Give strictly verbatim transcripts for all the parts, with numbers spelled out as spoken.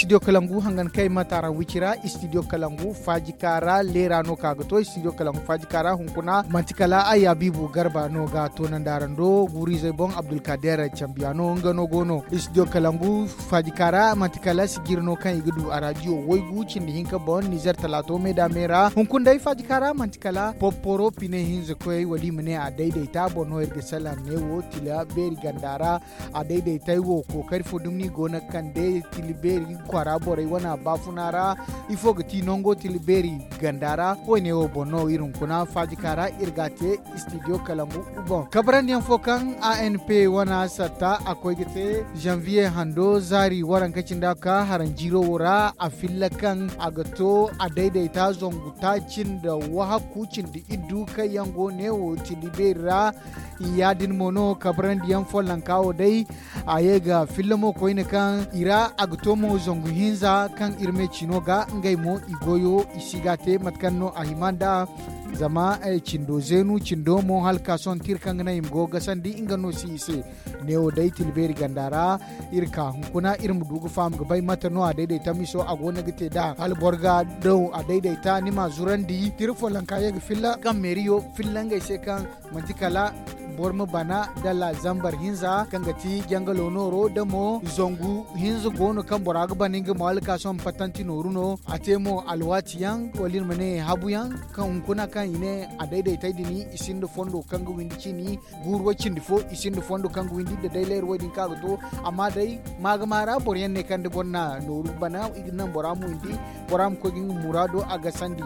Istidiyo kalangu hangan kay ma taara wicira. Istidiyo kalangu faajika ra leera no ka ga to istidiyo kalangu faajika ra hunkuna manti kala ay abiibu garba no ga toonandi araŋ do guuru-izey boŋ abdulkadeer cambiya no nga no go no istidiyo kalangu faajika ra manti kala sijiri no kaŋ i ga du a raadiyo waygu cindi hinka boŋ nizer talaato me da me ra hunkuna day faajika ra manti kala porporo pine hinza koyey wala i ma ne a daydayta boro no iri ga salaŋ ne wo tila beeri ganda ra. A daydaytey wo kookari fo dumni go no ga kande tila beeri kwaara borey wane baafuna ra. Ifo ga ti nango tila beeri ganda ra? Woyne wo boŋ no iri hunkuna faajika ra iri ga a te istidiyo kalangu boŋ kabrandi yaŋ fo kaŋ a n p wana satta a koy ga te zanviye hando zaari waranka cindi a ga ka haranjiiro wo ra a filla kaŋ a ga to a daydayta zangu taaci nda wahakku cindi iddu kaŋ yaŋ go ne wo tila beeri ra. Ya- din mo no kabrandi yaŋ follonka wo day a ye ga filla mo koyne kaŋ i ra a ga to mo zangu hinza kaŋ iri me ciino ga ngey mo i goyo i si ga a te mate kaŋ no a hima nd'a. Zama cindo zeenu cindo mo hala ka sohõ tira kaŋ ga naŋ i ma go ga gasandi nga no si i se. Neewo day tila beeri ganda ra iri ka hunkuna iri ma du ga faham ga bay mate no a daydayta miso a go no ga te nd'a hala boro ga daw a daydayta ni m'a zurandi tira follonka ye ga filla kaŋ meeriyo filla ngey se kaŋ manti kala boro ma bana dala zambar hinza kaŋ ga ti jangalo nooro da mo zangu hinza go no kaŋ bora ga bana nga mo hala ka sohõ pattanti nooru no a te mo alwaati yaŋ wala iri ma ne habu yaŋ kaŋ hunkuna kaŋ i ne a daydaytey din i sinda fondo kaŋ ga windi ciini guuru way cindi fo i sinda fondo kaŋ ga windi nda day leera wo- din kaŋ a ga to. Amma day maagama ra boro yaŋ ne kaŋ da boro na nooru bana i ga naŋ bora ma windi bora ma koy ga nga muraado a gasandi.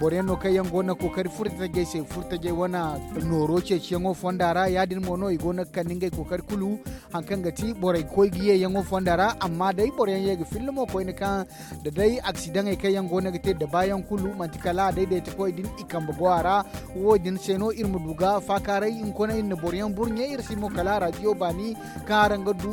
Boro yaŋ no kaŋ yaŋ go no ga kookari furtajey se furtajey wane nooro ceeciyaŋo fonda ra ya- din mo no i go no ga kande ngey kookari kulu. Hari kaŋ ga ti borey ga koy ga ye yaŋo fonda ra amma day boro yaŋ ye ga filla mo koyne kaŋ da day aksidaŋey kaŋ yaŋ go no ga te da baayaŋ kulu manti kala a daydaytakoy din i kambe go a ra. Wo- din se no iri ma du ga faakaaray hunkuna iri na boro yaŋ burɲe iri si mo kala a raadiyo baani kaŋ araŋ ga du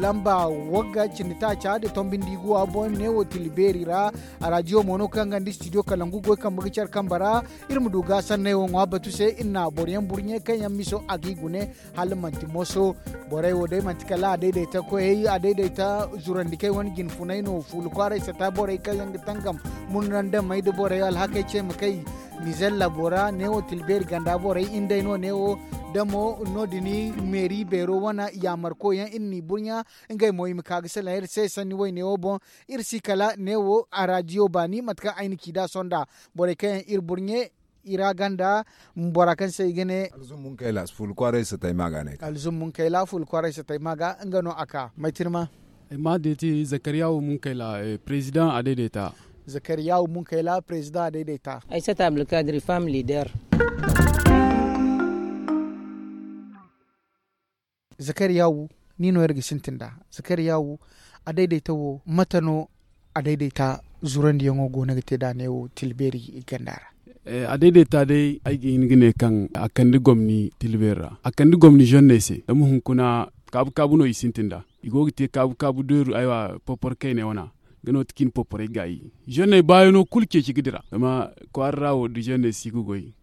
lamba wagga cindi taaca nda tombi nda iguwa boŋ ne wo tila beeri ra. A raadiyo mo no kaŋ ga nda istidiyo kalangu goy kambe ga care kambe ra. Iri ma du ga sanney wo ŋwa batu se iri na boro yaŋ burɲe kaŋ yaŋ miso a g'i gune hala manti moso. Borey wo day manti kala a daydayta koyey a daydayta zurandikey wane jinfunay no fuula kwaaray sata borey kaŋ yaŋ ga tangam murnandamey nda borey alhakey ce ma kay. Nizer labo ra neewo tilbeeri ganda borey indey no neewo da mo no- din meeri beero wane yaamarkoyaŋ iri n'i burɲa. Ngey mo i ma ka ga salaŋ iri se sanni woyne wo boŋ. Iri si kala neewo a raadiyo baani mate kaŋ ay na ci nd'a sohõ nd'a borey kaŋ yaŋ iri burɲe i ra ganda. Bora kaŋ se i ga ne alzum munkayla fuula kwaaray satay ma ga ne alzum munkayla fuula kwaaray satay ma ga nga no a ka maytirma. Ay ma deeti zakariyawu munkayla president a daidaita. Zakariyawu munkayla president a daidaita. Ay sata abdulkadir fam leader. Zakariyawu ni no iri ga sintin nd'a. Zakariyawu a daidaita wo mate no a daidaita zurandiyaŋo go no ga te nd'a ne wo tilbeeri ganda ra? A daidaita day ay ga hin ga ne kaŋ a kande gomni tilbeeri ra a kande gomni zonney se zama hunkuna kaabu kaabu no i sintin nd'a. I go ga te kaabu kaabu deeru aywa porporo kayney wana. Nga no ti kaŋ i na porporey gaayi zonney baayano kulu ceeci ga dira zama kwaara ra wo da zonney si ga goy.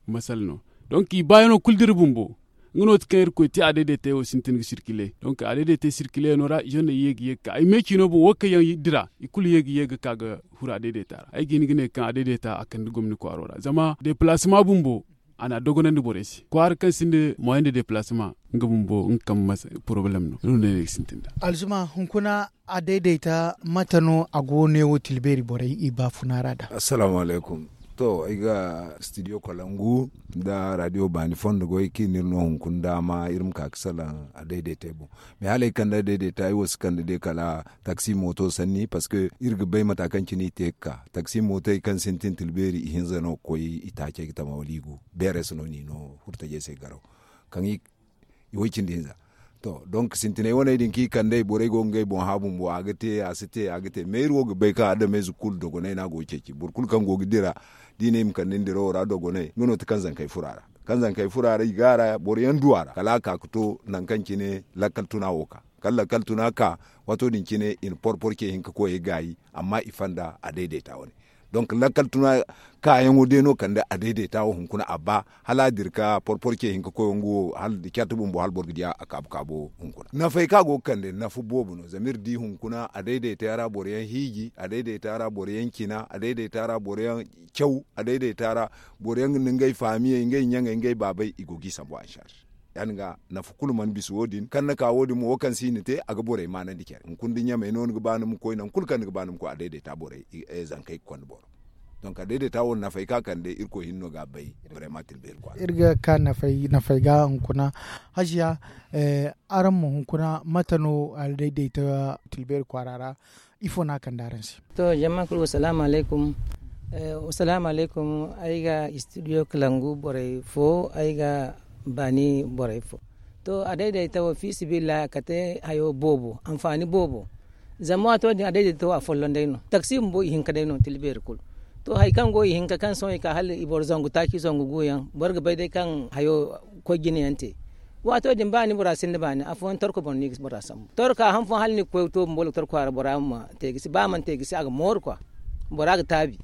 Masala no donk i baayano kulu dira bumbo. Nga no ti kaŋ irkoy te a daidaitey wo sintin ga sirkile donk a daidaitey sirkileyaŋo ra zonney ye ga ye ga ka ay me ciino boŋ wo kaŋ yaŋ dira i kulu ye ga ye ga ka ga huru a daidaita ra ay ga hin ga ne kaŋ a daidaita a kande gomni kwaaro ra zama depalasema bumbo. A na a dogonandi borey se kwaara kaŋ sinda moyen de depalasema nga bumbo nga kambe masa porobalem no. Nga no ne ay ga sintin nd'a. Alzuma hunkuna a daidaita mate no a go neewo tilbeeri borey i baafuna ra nd'a? Assalaamu alaykum. To ay ga stidiyo kalangu nda raadiyo baani fondo goy kaŋ i na iri no hunkuna daama iri ma ka ga salaŋ a daidaitey boŋ. Mais hala ay kande a daidaita ay wo si kande day kala taksi mooto sanni parceque iri ga bay mata kaŋ cine i te ga ka taksi mootey kaŋ sintin tilbeeri ihinza no ga koy itaacey ga tama wala i gu. Beeres no n'i no furtajey se garaw kaŋ i way cindi hinza. To donk sintiney waney din kaŋ i kand'ey borey go ga ngey boŋ hã bumbo a ga te a si te a ga te mais iri wo ga bay kaŋ adameyze kulu dogonay no a go ga ceeci boro kulu kaŋ go ga dira. Da i ne i ma kande ni dirawo ra dogonay nga no ti kaŋ zankey furo a ra kaŋ zankey furo a ra i go a ra boro yaŋ du a ra kala a ka ga to nangu kaŋ cine lakkal tuna wo ka kala lakkal tuna ka. Waato din cine i na porporo ce hinka koyey gaayi amma i fonda a daidaita wane. Donk lakkal tuna kaayaŋo day no kande a dayday ta wo hunkuna a ba hala a dira ka porpor ce hinka koy nga wo hala da carte bumbo hala boro ga di a kaabu kaabu hunkuna nafey kaŋ a go ga kande nafa boobo no zama iri di hunkuna a dayday ta ra boro yaŋ hiiji a dayday ta ra boro yaŋ cina a dayday ta ra boro yaŋ caw a dayday ta ra boro yaŋ ga ni ngey faamiyey ngey ɲaŋey ngey baabey i go ga i sambu a sarse. Ya- din ga nafa kulu mana bisa wo- din kaŋ ni ka wo- din mo wo kaŋ se i na te a ga borey maanandi care hunkuna da ɲamey no ni ga ba ni ma koy nangu kulu kaŋ ni ga ba ni ma koy a dayday ta borey zankey ga konda boro. Donk a dayday ta wo nafey kaŋ a kande irkoy hinne no ga a bay. Iri ga ka nafey ga hunkuna hajiya, araŋ ma hunkuna mate no a dayday ta tilbeeri kwaara ra? Ifo no a kande araŋ se? To jama kulu wasalaamu alaykum. Wasalaamu alaykum. Ay ga istidiyo kalangu borey fo ay ga baani borey fo. To a dayday ta wo fiisabilillahi a kate hayo boobo anfaani boobo. Zama waato din a dayday ta wo a folloŋ day no taksi bumbo i hinka day no tila beeri kulu. To hari kaŋ go i hinka kaŋ sohõ i ka hala i boro zangu taaci zangu gu yaŋ boro ga bay day kaŋ hayo koy jine yaŋ te. Waato din ba ni bora sinda baani afooyaŋ torko boŋ no i ga bora sambu torka han fooyaŋ hala ni ga koy to bumbo ga torko a ra bora ma te ga si ba a mana te ga si a ga mooru kwa. Bora ga taabi.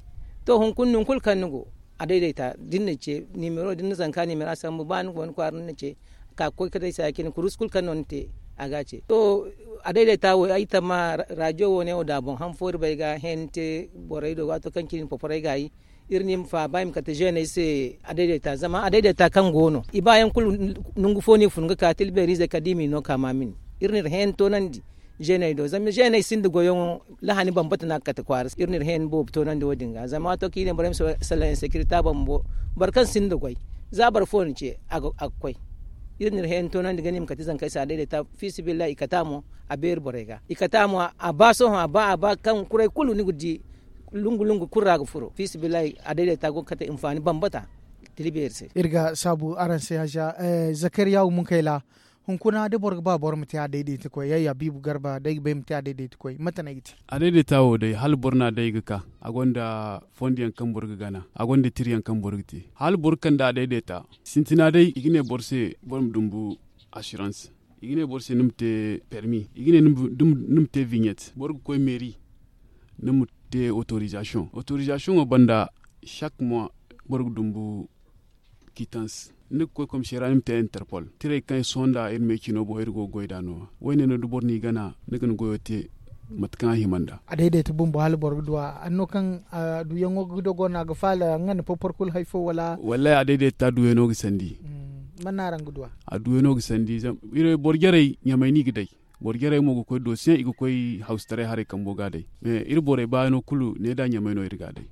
To hunkuna nangu kulu kaŋ ni go a dayday ta da ni na ce nimero da ni na zanka nimera sambu ba ni go ni kwaara ni na ce ka ga koy ka day saya cine kurusu kulu kaŋ no ni te. A ga a ce to a dayday ta wo ay tamma rajo wo ne wo da a boŋ han fo iri bay ga hẽeni te borey do waato kaŋ cine poporey ga ay iri na i ma faaba i ma kate zeeney se. A dayday ta zama a dayday ta kaŋ go no i ba yaŋ kulu nangu fo no i fun ga ka tila beeriizey kala da i ma i no ka maamini. Iri na iri hẽeni toonandi zeeney do zama zeeney sinda goyyaŋo lahani bambata no a ga kate kwaara se iri na iri hẽeni boobo toonandi wo- din ga zama waato kaŋ i ne borey ma sala insekirita boro kaŋ sinda goy za boro fo na ce a ga koy. Iri na iri hẽeni toonandi ga ne i ma kate zankey se a dayday ta fiisabilillahi i kate a mo. A beeri borey ga i kate a mo a ba sohõ a ba a ba kaŋ kuray kulu ni ga di lungu lungu kulu ra ga furo fiisabilillahi a dayday ta go ga kate hinfaani bambata. Tila beeri se. Iri ga saabu araŋ se haza zakariya wo munkayla hunkuna da boro ga ba boro ma te a dayday ta koy yayya biibu garba day ga bay ma te a dayday ta koy mate no ay ga te? A dayday ta wo day hala boro no a day ga ka a gonda fondo yaŋ kaŋ boro ga gana a gonda tira yaŋ kaŋ boro ga te hala boro ga kande a dayday ta. Sintina day i ga ne boro se boro ma dumbu asirans i ga ne boro se ni ma te permi i ga ne ni ma te viɲet boro ga koy meeri. Ni ma te otorizasiyoŋ otorizasiyoŋo banda sak mois boro ga dumbu kitans. Ni ga koy komiseera ni ma te interpol tiray kaŋ sohõ nda iri me cino boŋ iri go ga goy nd'a no-ya wo- ne no da boro n'i gana ni ga ni goyo te. Mate kaŋ a hima nd'a a dayday ta bumbo hala boro ga du a hanno kaŋ a duyaŋo ga dogo no a ga faala nga nda porpor kulu hari fo wala? Wallaahi a dayday ta duyaŋo ga sandi. Man no araŋ ga du a? A duyaŋo ga sandi zama iri boro jarey ɲamay no i ga day. Boro jarey mo ga koy doosiyaŋ i ga koy hawsitaray haray kambo ga a day. Mais iri borey baayaŋo kulu ne nd'a ɲamay no iri ga a day.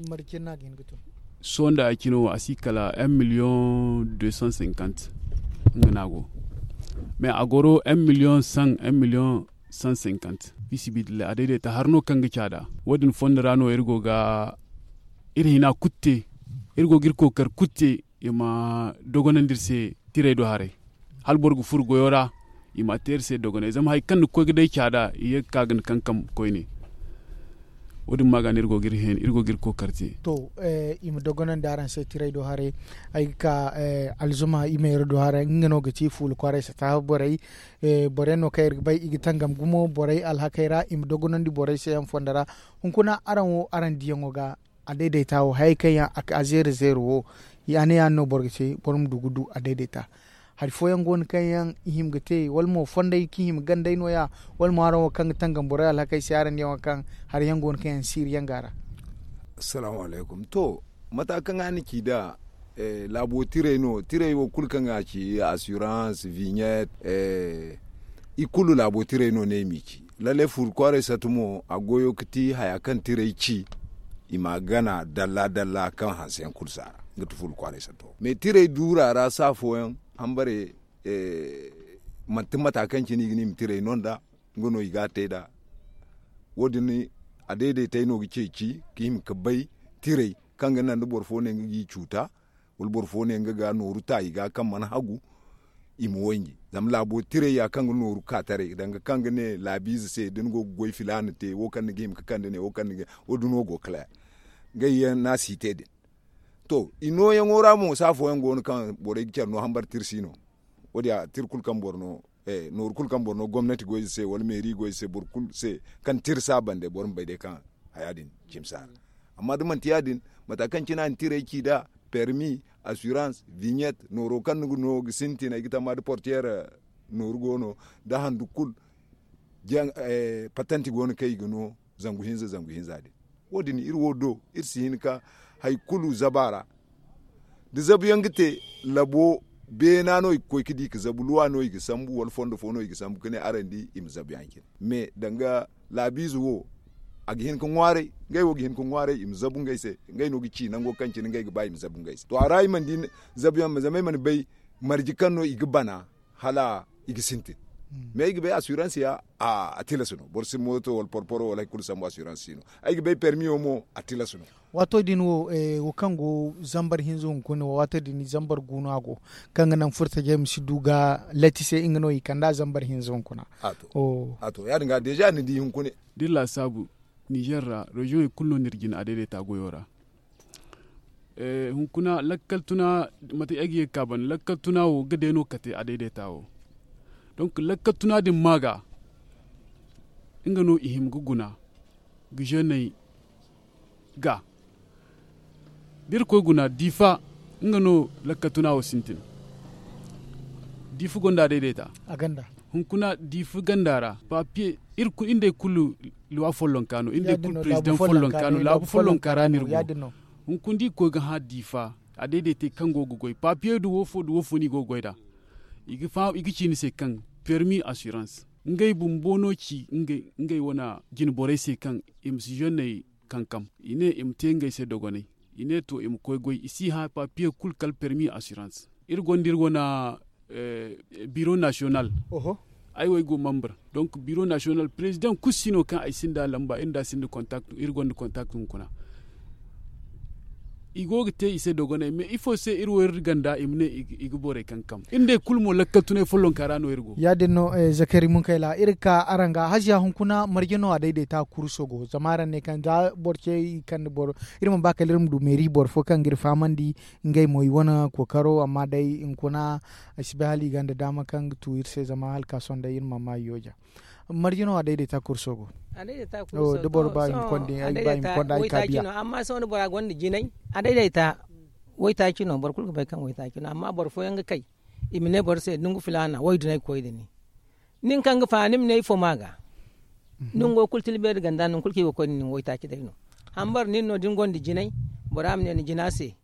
Marcin no a ga hin ga tun? Sohõ nda ay cine wo a si kala un million deux cent cinquante. Nga no a go mais a goro un million cent un million cent cinquante. Fiisabilillahi a dayday ta hari no kaŋ ga caada wo- din fondo ra no iri go ga iri hina kulu te. Iri go ga iri kookari kulu te i ma dogonandi iri se tiray do haray. Hala boro ga furo goyo ra i ma a te iri se dogonay zama hari kaŋ ni ga koy ga day caada i ye ga ka ga ni kankam koyne. Wo- din ma ga no iri go ga iri kookari te. To i ma dogonandi araŋ se tiray do haray. Ay ga ka alzuma i ma iri do haray nga no ga ci fuula kwaaray sata borey. Boro yaŋ no kaŋ iri ga bay i ga tangam gumo borey alhakey ra i ma dogonandi borey se yaŋ fondo ra. Hunkuna araŋ wo araŋ diyaŋo ga a dayday ta wo hayey kaŋ yaŋ a zeere zeere wo. Ya- ne ya- din no boro ga te boro ma du ga du a dayday ta. Hari fooyaŋ go no kaŋ yaŋ i hima ga te wala mo fondey kaŋ i hima gandey no- ya? Wala mo araŋ wo kaŋ ga tangam borey alhakey se araŋ diyaŋo kaŋ hari yaŋ go no kaŋ yaŋ siiri yaŋ go a ra? Assalaamu alaykum to mata kaŋ a na ci nd'a laabo tirey no tirey wo kulu kaŋ a ci assurance vignette. I kulu laabo tirey no ne i m'i ci. Lallay fuula kwaaray satu mo a goyo ga ti haya kaŋ tirey ci. I m'a gana dalla dalla kaŋ hanse yaŋ kulu si a ra. Nga ti fuula kwaaray sato mais tirey duura ra saafo yaŋ hambare manti mata kaŋ cine i ga ne i ma tirey no nd'a. Nga no i ga a te nd'a. Wo- din a dayday tay no ga ceeci ga hima ga bay tirey kaŋ ga naŋ da boro fo ne nga g'i cuuta wala boro fo ne nga ga nooru ta i ga kaŋ mana hagu. I ma wanji zama laabo tirey ya kaŋ ga nooru ka taray danga kaŋ ga ne laabiize se da ni go ga goy filaana te wo kaŋ ni ga hima ga kande ne wo kaŋ ni ga wo- din no go ga kala. Ngey yaŋ no a si te din. To i nooyaŋo ra mo saafo yaŋ go no kaŋ borey ga care no hambare tira si no. Wo- din a tira kulu kaŋ boro no nooru kulu kaŋ boro no gomnati goy ze se wala meeri goy ze se boro kulu se kaŋ tira si a bande boro ma bay day kaŋ haya din cimi si a ra. Amma da manti ya- din, mata kaŋ cine a na tirey ci nd'a, permi, assurance, vignette, nooro kaŋ ni ga no ga sintin ay ga tamma da portiyeer nooru go no, da handu kulu. Patenti go no kaŋ i ga no zangu hinza zangu hinza din. Wo- din iri wo do iri si hin ka hari kulu zabu a ra. Da zabu yaŋ ga te, labo beena no i ga koy ga di ga zabu luwa no i ga sambu wala fondo fo no i ga sambu ga ne araŋ di i ma zabu yaŋ cine. Mais danga laabiize wo, a ga hin ga ŋwaaray, ngey wo ga hin ga ŋwaaray i ma zabu ngey se. Ngey no ga ci nango kaŋ cine ngey ga ba i ma zabu ngey se to a ra i mana di zabu yaŋ zama ay mana bay marje kaŋ no i ga bana hala i ga sintin. Mais ay ga bay assurance ya a tilas no boro si mooto wala porporo wala hari kulu sambu assurance si no. Ay ga bay permi wo mo a tilas no. Waato din wo wo kaŋ go zambar hinza hunkuna wo waato din zambar gu no a go, kaŋ ga naŋ furtajey ma si du ga latti se nga no i kand'a zambar hinza hunkuna. A to ya- din ga deeza ni di hunkuna. Da iri laasaabu, nizer ra reziyoŋey kulu no ni iri jina adaydaita goyo ra. Hunkuna lakkal tuna, mate ay ga ye ga ka banda lakkal tuna wo ga day no kate adaydaita wo. Donk lakkal tuna din ma ga nga no i hima ga guna ga zeney ga da iri koy guna diifa, nga no lakkal tuna wo sintin. Diifa gonda adaydaita. Hunkuna diifa ganda ra papiye iri nd'ey kulu luwa follonka no iri nd'ey kulu perezidaŋ follonka no laabu follonka ra no iri go. Hunkuna da i ga koy ga hã diifa, adaydaitey kaŋ go ga goy papiye nda woofo nda woofo no i go ga goy nd'a. I ga ci ni se kaŋ permi assurance ngey bumbo no ci ngey wane jine borey se kaŋ i ma si zenney kankam. I ne i ma te ngey se dogonay. I ne to i ma koy goy i si hã papiye kulu kala permi assurance. Iri gonda iri wane biro nasiyonal. Ay wo ay go membre. Donk biro nasiyonal perezidaŋ kulu si no kaŋ ay sinda lamba iri nda a sinda kontaktu iri gonda kontaktu hunkuna. I go ga te i se dogonay mais ifo se iri wo iri ganda i ma ne i ga borey kankam iri nd'ey kulu mo lakkal tunay follonka ra no iri go. Ya- din no. Zakari munkayla iri ga ka araŋ ga haziya hunkuna marje no a daydaita kurso go zama araŋ ne kaŋ za boro ce i kande boro. Iri mana ba kala iri ma du meeri boro fo kaŋ ga iri fahamandi ngey mo i wane kookaro amma day hunkuna ay si bay hala i gonda daama kaŋ ga tu iri se zama hala ka sohõ day iri mana ma i yooja. Marje no a daydaita kurso go? Da boro ba i ma konda ay ga ba i ma konda ay ka biya. Amma sohõ da bora gonda jinay a daydaita waytaaci no boro kulu ga bay kaŋ waytaaci no amma boro fooyaŋ ga kay i ma ne boro se nangu filaana waydu no ay ga koy nda ni. Nin kaŋ ga faani ni ma ne ifo ma ga nango kulu tilbeeri ganda nangu kulu kaŋ i go ga koy nda nin waytaaci day no. Hambar nin no da ni gonda jinay bora ma ne ni jina se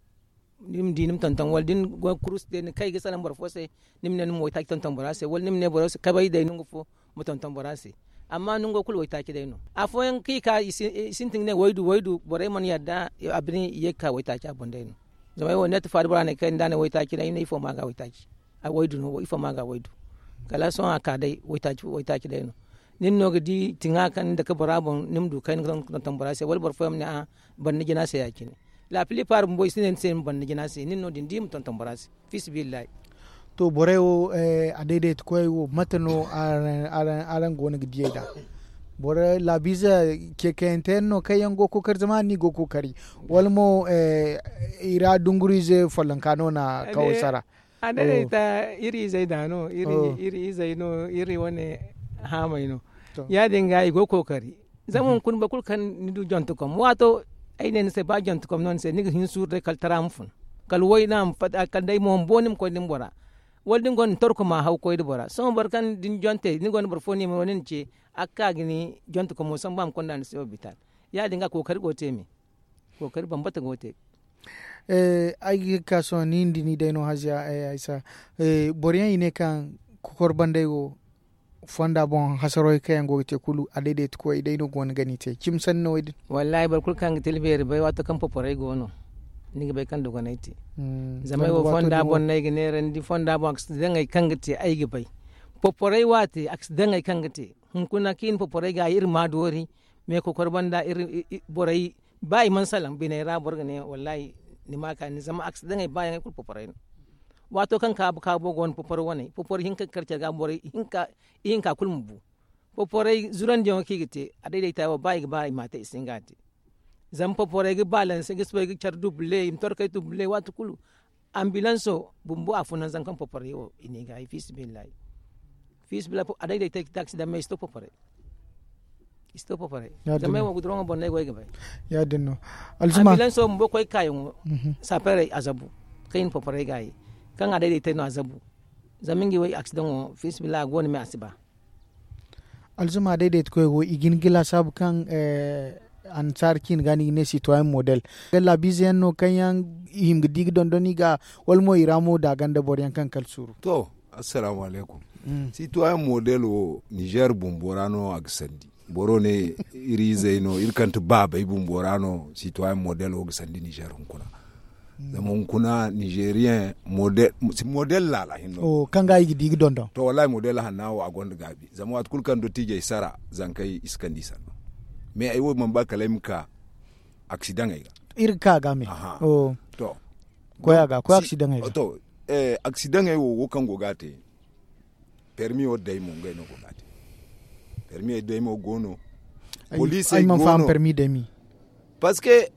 ni ma di ni ma tonton wala da ni go ga kurusu te ni kay ga salaŋ boro fo se ni ma ne ni ma waytaaci tonton bora se wala ni ma ne boro se kabay day nangu fo ma tonton bora se. Amma nango kulu waytaaci day no afooyaŋ kaŋ i ka i sintin ga ne waydu waydu borey mana yadda a bine i ye ga ka waytaaci a boŋ day no. Zama ay wo neet faari bora ne kay nda a ne waytaaci day no ifo ma ga waytaaci. Waydu no ifo ma ga waydu kala sohõ a ka day waytaaci day no. Nin no ga di tiŋa kaŋ ni dake bora boŋ ni ma du kayna ga tonton bora se wala boro fooyaŋ ma ne a banda jina se ya- cine. Laapili paar bumbo i si ne ni se ni ma banda jina se nin no din di ma tonton bora se. Fi sabilillahi. To borey wo a daydaita koyey wo mate no araŋ go no ga diyey nd'a? Boro laabiize ceekayante yaŋ no kaŋ yaŋ go ga kookari zama araŋ no i go ga kookari wala mo i ra dunguriize follonka no na kawo sara? A daydaita iri izey da no iri izey no iri wane haamey no. Ya- din ga i go ga kookari. Zama hunkuna boro kulu kaŋ ni du jontekom waato ay ne ni se ba jontekom no ni se ni ga hin suuru day kala tara ma fun kala wayna ma fatta kala day mo ma bo ni ma koy da ni bora. Wala da ni gonda torko ma haw koy da bora sohõ boro kaŋ da ni jonte ni gonda boro fo no i ma no ni na ce a ga ka ga ni jontekomo sambu a ma konda ni se hopital. Ya- din ga kookari go ga te me. Kookari bambata go ga te. Ay ga ka sohõ ni nda ni day no haziya ay sa. Boro yaŋ i ne kaŋ kokor bandey wo fonda boŋ hasarey kaŋ yaŋ go ga te kulu a daydaita koyey day no go no ga ni te cimi sanni no wo- din? Wallaahi boro kulu kaŋ ga tila beeri bay waato kaŋ poporey go no ni ga bay kaŋ dogonay te. Zama ay wo fonda boŋ no ay ga neerandi fonda boŋ a ga si daŋ hari kaŋ ga te ay ga bay. Poporey waate a ga si daŋ hari kaŋ ga te. Hunkuna kaŋ i na poporey ga iri ma doori me kokor banda iri borey ba i mana salaŋ biney ra boro ga ne wallaahi ni ma ka ni zama a ga si daŋ hari ba yaŋ hari kulu poporey no. Waato kaŋ kaabu kaabo go no poporo wane poporo hinka ga kar care ga borey ihinka kulu ma bu. Poporey zurandiyaŋo kaŋ i ga te a daydaita wo ba i ga ba i ma a te i si hin ga a te. Zama poporey ga balanse ga soobay ga care duble i ma torkey duble waati kulu. Ambilanso bumbo a funa zanka ma poporey wo i ne i ga hay fiisabilillahi. Fiisabilillahi a daydaitey ga te a ga si daŋ me i si to poporey. I si to poporay. Zama ay wo guduraŋo boŋ no ay go ay ga bay. Ya- din no. Alzuma. Ambilanso bumbo koy kaayaŋo. Sapeerey a zabu kaŋ i na poporay gaayi, kaŋ a dayday te no a zabu. Zama nga wo aksidaŋo fiisabilillahi a go no me a si ba. Alzuma dayday te koy wo i ga hin ga laasaabu kaŋ ansaara ciine ga no i ga ne sitoyen model. Laabiize yaŋ no kaŋ yaŋ i hima ga di ga dondon i ga, wala mo i ra mo da ganda boro yaŋ kaŋ kala suuru. To, assalaamu alaykum. Sitoyen model wo nizer bumbo ra no a ga sandi. Boro ne iri izey no iri kaŋ ti baabey bumbo ra no sitoyen model wo ga sandi nizer hunkuna. Zama hunkuna nizeriyen model laala hinno kaŋ ga i ga di ga dondon. To wallahi model hanna wo a gonda gaabi zama waati kulu kaŋ dottiijey sara zankey i si kande i sanno. Mais ay wo mana ba kala ay ma ka aksidaŋey ga. Iri ga ka ga me. To, koy a ga koy aksidaŋey ga. To, aksidaŋey wo wo kaŋ go ga a te. Permi wo day mo ngey no go ga a te. Permi day mo go no. Poliisey go no. Parce que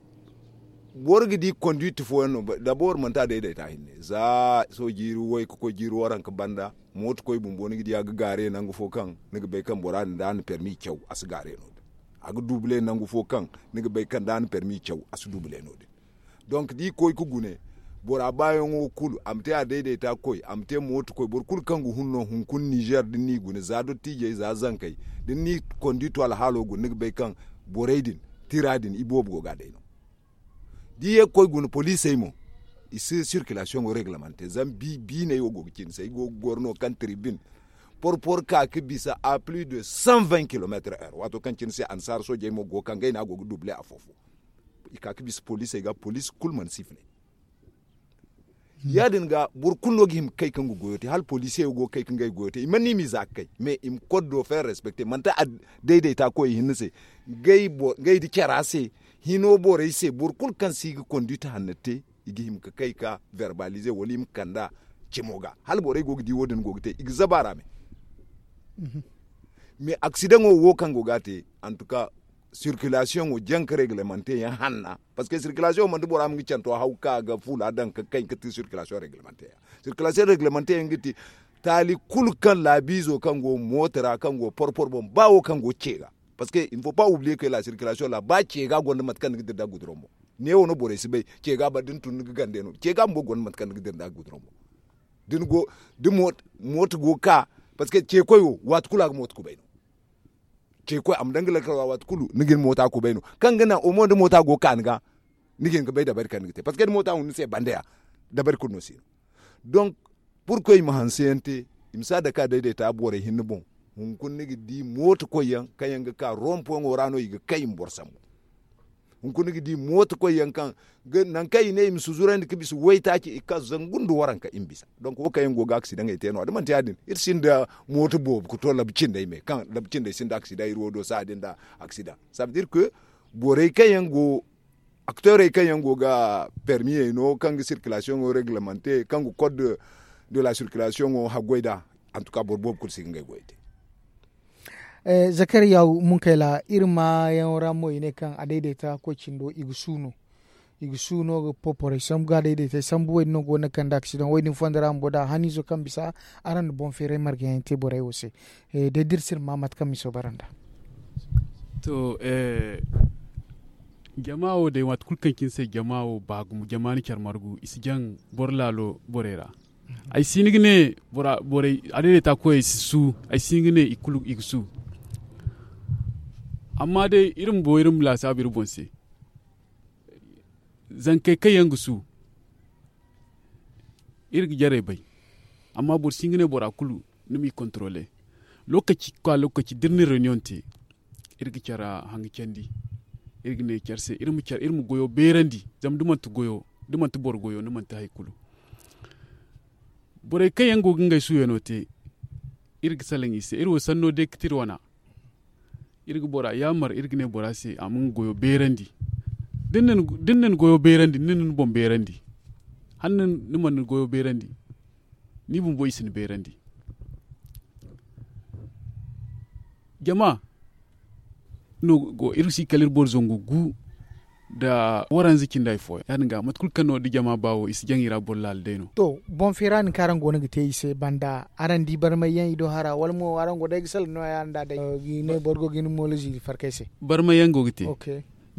boro ga di konduit fooyaŋ no dabor manti a dayday ta hinne za sohõ jiiri way ga koy jiiri waranka banda. Mooto koy bumbo ni ga di a ga gaare nangu fo kaŋ ni ga bay kaŋ bora din da a na permi caw a si gaare no- din. A ga duble nangu fo kaŋ ni ga bay kaŋ da a na permi caw a si duble no- din. Donc da i koy ga gune bora baayaŋo kulu a ma te a dayday ta koy a ma te mooto koy boro kulu kaŋ ga hun no hunkuna nizer da ni n'i gune za dottiijey za zankey da ni n'i konduit alhaalo gune ni ga bay kaŋ borey din tira din iboobo go ga a day no. Da i ye ga koy guna poliisey mo i si sirkilasiyoŋo reglemante zama biiney wo go ga cine se ay go ga goro no kaŋ tribune porpor ka ga bisa a plus de cent vingt kilometre heure waato kaŋ cine se annasaara soojey mo go ga ka ngey no a go ga duble afo-fo. I ka ga bisa poliisey ga poliisi kulu mana sifilay. Ya- din ga boro kulu no ga hima ga kay kaŋ ga goyo te hala poliisey wo go ga kay kaŋ ga ay goyo te i mana ni m'i za ga kay mais i ma koddo feeri respecte manti a dayday ta koy i hinne se. Ngey da cara se hino borey se boro kulu kaŋ si ga konduit hanna te i ga hima ga kay ga verbalize wala i ma kand'a cimo ga hala borey go ga di wo- din go ga te i ga zaba ra me. Mais aksidaŋo wo kaŋ go ga a te antuka sirkilasiyoŋo janka reglemante yaŋ hanna. Parce que sirkilasiyoŋo manti bora ma nga canto haw ga ka ga fuula daŋ ga kay ga ti sirkilasiyoŋ reglemante yaŋ. Sirkilasiyoŋ reglemante yaŋ ga ti taali kulu kaŋ laabiizo kaŋ go mooto ra kaŋ go porpor boŋ ba wo kaŋ go ce ga. Parce que il ne faut pas oublier que la sirkilasiyoŋ ra ba ce ga gonda mate kaŋ ni ga dira nda guduraŋ boŋ. Neewo no borey si bay ce ga ba da ni tun ni ga gande no ce ga bumbo gonda mate kaŋ ni ga dira nda guduraŋ boŋ. Da ni go da mooto go ga ka parce que ce koy wo waati kulu a ga mooto kubay no. Ce koy a ma daŋ ga lakkal ra waati kulu ni ga ni moota kubay no kaŋ ga naŋ omo nda moota go ga ka ni ga. Ni ga hin ga bay dabari kaŋ ni ga te parce que da moota hun ni se banda ya dabari kulu no si no. Donc purkoy i ma hanse yaŋ te i ma si a dake a dayday ta borey hinne boŋ. Hunkuna ni ga di moota koy yaŋ kaŋ yaŋ ga ka rompoyaŋo ra no i ga kay i ma boro sambu. Hunkuna ni ga di moota koy yaŋ kaŋ nangu kaŋ i ne i ma si zurandi ga bisa waytaaci i ga ka zangu nda waranka i ma bisa. Donk wo kaŋ yaŋ go ga aksidaŋey te no- ya da manti ya- din iri sinda mooto boobo ga to labu cindey me kaŋ labu cindey sinda aksidaŋ iri wo do saha din nda aksidaŋ. Sabe dire que borey kaŋ yaŋ go akteerey kaŋ yaŋ go ga permiyey no kaŋ ga sirkilasiyoŋo reglemante kaŋ ga code de la sirkilasiyoŋo haggoy nd'a. Antuka boro boobo kulu si ga ngey goyey te. Zakariya munkayla iri maayaŋo ra mo i ne kaŋ a dayday ta koy cindo i ga suuno i ga suuno ga poporey sambu ga a dayday te sambu wo- din no go ga naŋ ga kande aksidaŋ wo- din fondo ra bumbo da haniizo kaŋ bisa araŋ na boŋ feeray marga yaŋ te borey wo se. Day da iri si iri ma mate kaŋ miso bara nd'a. To jama wo day waati kulu kaŋ cine se jama wo ba gumo jama na care margu i si jaŋ boro laalo borey ra. Ay si hin ga ne borey a dayday ta koyey si su ay si hin ga ne i kulu i ga su. Amma day iri ma bo iri ma laasaabu iri boŋ se zankey kaŋ yaŋ ga su iri ga jarey bay. Amma boro si hin ga ne bora kulu ni m'i kontrole. Lokaci ga ka lokaci da iri na reniyoŋ te iri ga care hanga candi. Iri ga ne care se iri ma goyo beerandi zama da manti boro goyo ni manti hari kulu. Borey kaŋ yaŋ go ga ngey suuyano te iri ga salaŋ i se iri wo sanno day ga ti iri wana. Iri ga bora yaamar iri ga ne bora se a ma nga goyo beerandi. Da ni na ni goyo beerandi ni na ni boŋ beerandi hala ni mana ni goyo beerandi ni bumbo i si ni beerandi. Jama no go iri si kala iri boro zangu gu. nda waranza cindi hari fooyaŋ ya- din ga mate kulu kaŋ no da jama ba wo i si jaŋ i ra boro laala day no. To, boŋ feera din kaŋ araŋ go no ga te i se banda, araŋ di barmay yaŋ i do hara wala mo araŋ go day ga salaŋ no- ya nda day? Boro go ga hin moolo ziiri farkay se. Barmay yaŋ go ga te.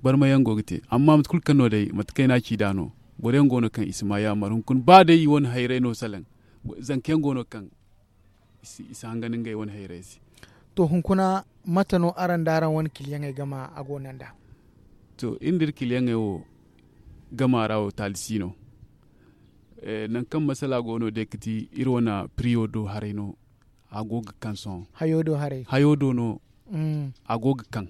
Barmay yaŋ go ga te. Amma mate kulu kaŋ no day mate kaŋ ay n'a ci nd'a no, boro yaŋ go no kaŋ i si ma yaamar hunkuna ba day i wane hayray no salaŋ. Zanka yaŋ go no kaŋ i si hangan ngey wane hayray se. To, hunkuna mate no araŋ nda araŋ wane kiliyaŋey gama a go no nd'a? To, iri nda iri kiliyaŋey wo gama ra wo taali si no. Nangu kaŋ masala go no day ga ti iri wane piriyo do haray no. A go ga kaŋ sohõ hayo do haray hayo do no. A go ga kaŋ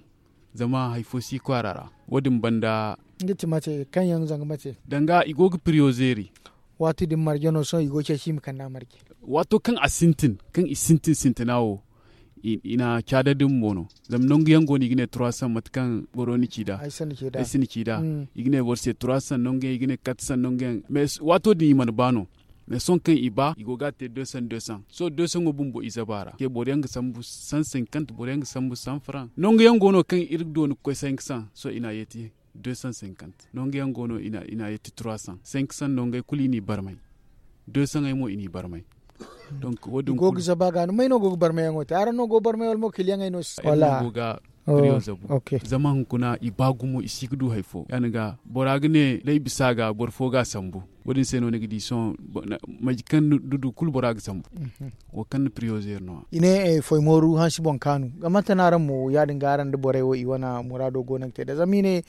zama hari fo si kwaara ra. Wo- din banda nga ti mate kaŋ yaŋ zanga mate danga i go ga piriyo zeeri. Waati din marje no sohõ i go ga ceeci i ma kand'a marje. Waato kaŋ a sintin kaŋ i sintin sintina wo i na caada din mo no. Zama nangu yaŋ go no i ga ne trois cents mate kaŋ boro ni ci nd'a. Ay si ni ci nd'a. I ga ne boro se trois cents nangu yaŋ i ga ne quatre cents nangu yaŋ. Mais waato din i mana ba no. Mais sohõ kaŋ i ba i go ga a te deux cents deux cents sohõ deux cents wo bumbo i zaba ra te boro yaŋ ga sambu cent cinquante boro yaŋ ga sambu cent franc nangu yaŋ go no kaŋ iri dooni ga koy cinq cents sohõ i n'a yeeti deux cents cinquante nangu yaŋ go no i n'a yeeti trois cents cinq cents nangu yaŋ kulu i n'i barmay. Deux cents yaŋ mo i n'i barmay. Donc wo- din i go ga zaba ga no may no go ga barmay yaŋo te araŋ no go ga barmay wala mo kiliyaŋey no si wala? Go ga piriyo zabu. Zama hunkuna i ba gumo i si ga du hari fo ya- din ga bora ga ne da ay bisa ga boro fo ga a sambu. Wo- din se no ni ga di sohõ maji kaŋ ni du kulu bora ga sambu. Wo kaŋ ni piriyo zeeri no- ya i ne foy mooru hansi boŋ kaanu. Ga mate no araŋ mo ya- din ga araŋ nda borey wo i wane muraado go no ga te nd'a zama i ne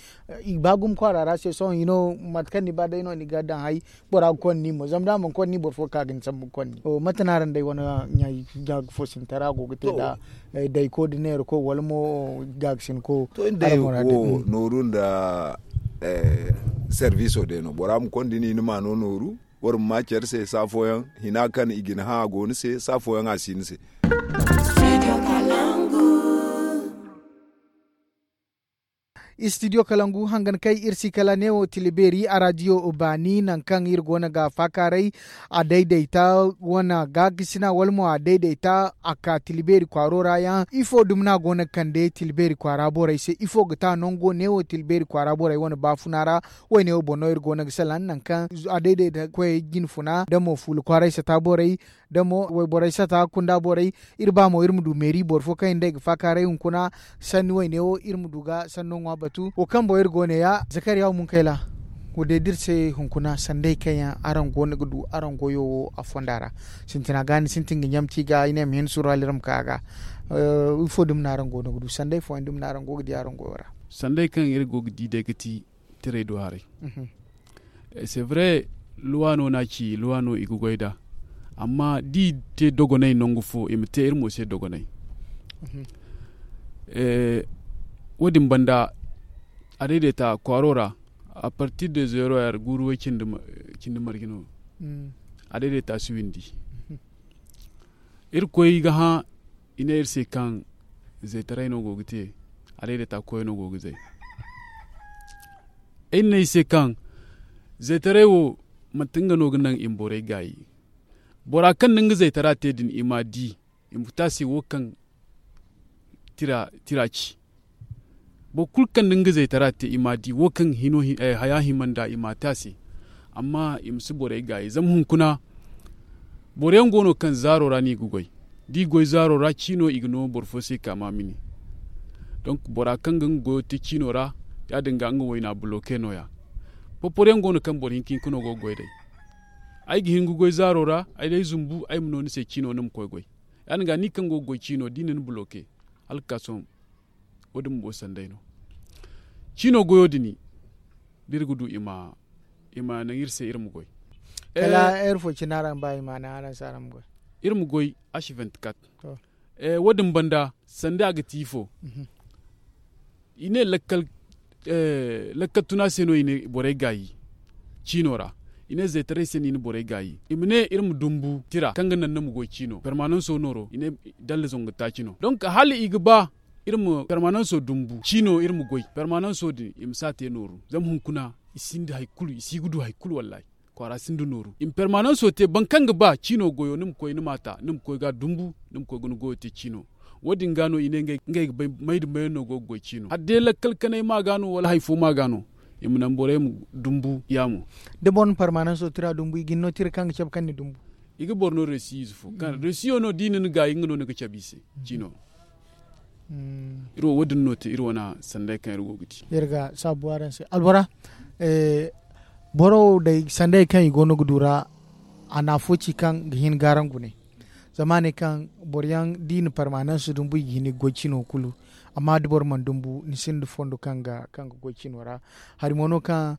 i ba gumo kwaara ra se sohõ i no mate kaŋ ni ba day no ni ga daŋ hay. Bora ga konda ni mo zama da a mana konda ni boro fo ga ka ga ni sambu ga konda ni. Mate no araŋ day wane ɲaayi ga ga fo sintara go ga te nd'a? Dayko nda neerako wala mo gaagasinko. To iri day wo nooru nda serviso day no bora ma konda ni ni ma no nooru. Wara ma ma care se saa fooyaŋ hina kaŋ i ga ni hã a go ni se saa fooyaŋ a si ni se. Istidiyo kalangu hangan kay iri si kala neewo tila beeri a raadiyo baani nangu kaŋ iri go no ga faakaaray. A daydayta wane gaakasina wala mo a daydayta a ka tila beeri kwaaro ra yaŋ ifo dumi no a go no ga kande tila beeri kwaara borey se ifo ga ta nango neewo tila beeri kwaara borey wane baafuna ra. Wayne wo boŋ no iri go no ga salaŋ nangu kaŋ a daydayta koyey jinfuna da mo fuula kwaaray sata borey da mo wayborey sata kunda borey. Iri ba mo iri ma du meeri boro fo kaŋ yaŋ day ga faakaaray hunkuna. Sanni wayne wo iri ma du ga sanno ŋwa batu wo kaŋ boŋ iri go ne ya zakariya wo munkayla. Wo day da iri se hunkuna sanday kaŋ yaŋ araŋ go no ga du araŋ goyo wo a fonda ra. Sintina ga ni sintin ga ɲamti ga i ne ma hin suru hala iri ma ka ga ifo dumi no araŋ go no ga du sanday fooyaŋ dumi no araŋ go ga di araŋ goyo ra? Sanday kaŋ iri go ga di day ga ti tiray do haray. C'est vrai, luwa no no a ci luwa no i ga goy nd'a. Amma da i te dogonay nangu fo i ma te iri mo se dogonay. Wo- din banda a daydaita kwaaro ra. A partir de zero yar guuru way cindi marje no. A daydaita si windi. Irkoy ga hã i ne iri se kaŋ zaytaray no go ga te. A daydaita koyo no go ga zay. Ay na ne i se kaŋ zaytaray wo manti nga no ga naŋ i ma borey gaayi. Bora kaŋ na nga zaytara te din i m'a di i ma ga te a se wo kaŋ tira ci. Boro kulu kaŋ na nga zaytara te i m'a di wo kaŋ haya hima nd'a i m'a te a se. Amma i ma si borey gaayi zama hunkuna boro yaŋ go no kaŋ zaaro ra no i ga goy. Da i goy zaaro ra ciino i ga no boro fo se ka ma mini. Donk bora kaŋ ga nga goyo te ciino ra ya- din ga nga wayna buloke no- ya. Porporo yaŋ go no kaŋ boro hinka hinka no go ga goy day. Ay ga hin ga goy zaaro ra ay day zumbu ay ma no ni se ciino ni ma koy goy. Ya- din ga ni kaŋ go ga goy ciino da i na ni buloke hala ga ka sohõ. Wo- din bumbo sanday no. Ciino goyo din da iri ga du i ma naŋ iri se iri ma goy. Kala heure fo cine araŋ ba i ma naŋ araŋ se araŋ ma goy. Iri ma goy h vingt-quatre. Wo- din banda sanda a ga ti ifo? I ne lakkal tuna se no i na borey gaayi ciino ra. I ne zaytaray se no i na borey gaayi i ma ne iri ma dumbu tira kaŋ ga naŋ ni ma goy ciino permananso nooro i ne dalla zangu taaci no donk hala i ga ba iri ma permananso dumbu ciino iri ma goy permananso din i ma si a te nooru zama hunkuna i sinda hari kulu i si ga du hari kulu wallahi. Kwaara sinda nooru i ma permananso te boro kaŋ ga ba ciino goyo ni ma koy ni m'a ta ni ma koy ga dumbu ni ma koy ga ni goyo te ciino. Wo- din ga no i ne ngey ga bay may nda mayaŋ no go ga goy ciino hala day lakkal kanay ma ga no wala hari fo ma ga no. i ma naŋ borey ma dumbu yaamo. Da boro na parmananso tira dumbu i ga ni no tira kaŋ ga cabe kaŋ ni dumbu. I ga boro no resi ize fo kaŋ resiyo no da i na ni gaayi nga no ni ga cabe i se. Cino iri wo wo- din no te iri wane sanday kaŋ iri go ga di. Iri ga saabu araŋ se albora. Boro wo day sanday kaŋ i go no ga du ra a na afo ci kaŋ ga hin ga araŋ gune. Zama a ne kaŋ boro yaŋ da i na parmananso dumbu i ga hin ga goy cino kulu. Amma da boro mana dumbu ni sinda fondo kaŋ ga goy cino ra. Hari mo no kaŋ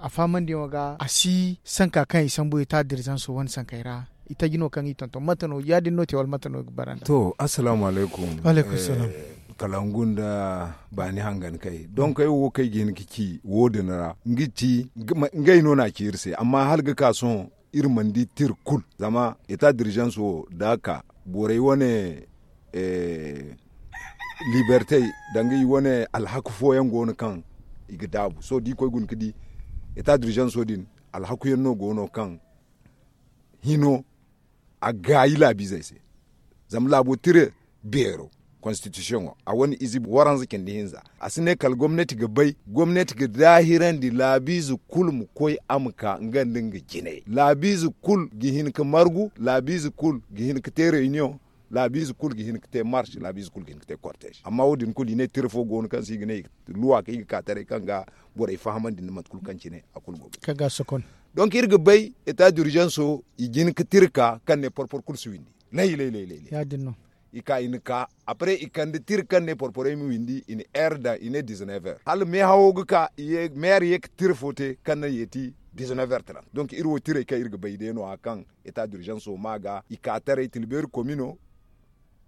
a fahamandiyaŋo ga a si sanka kaŋ i sambu i ta dirizanso wane sankey ra. Itaji no kaŋ i tonton mate no ya- din no te wala mate no ga bara nda. To, assalamu alaykum. Kalangu nda baani hangan kay donk ay wo kaŋ ay ga hin ga ci wo- din ra nga ti ngey no na a ci iri se amma hala ga ka sohõ iri mana di tira kulu. Zama eta dirizans wo da a ka borey wane liberte danga i wane alhaku fooyaŋ go no kaŋ i ga daabu sohõ da i koy guna ga di eta dirizanso din alhakuyaŋ no go no kaŋ hino a gaayi laabiizey se. Zama laabo tira beero konstitisiyoŋo a wane ize waranza cindi hinza a si ne kala gomnati ga bay gomnati ga daahirandi laabiize kulu ma koy a ma ka nga nda nga jinay laabiize kulu ga hin ga margu laabiize kulu ga hin ga te reyniyoŋ laabiize kulu ga hin ga te marse laabiize kulu ga hin ga te korteez amma wo- din kulu i ne tira fo go no kaŋ se i ga ne luwa kaŋ i ga ka taray kaŋ ga borey fahamandi nda mate kulu kaŋ cine a kulu go ga te. Donk iri ga bay eta dirizanso i jin ga tira ka kaŋ ne porpor kulu si windi. Laylay laylay i ka i na ka apre i kande tira kaŋ ne porporey ma windi i na heure daŋ i ne dizinever hala meehawo ga ka. Meere ye ga tira fo te kaŋ naŋ yeeti dizinever trant donk iri wo tirey kaŋ iri ga bay day no- ya kaŋ eta dirizanso ma ga i ka taray tilbeeri komino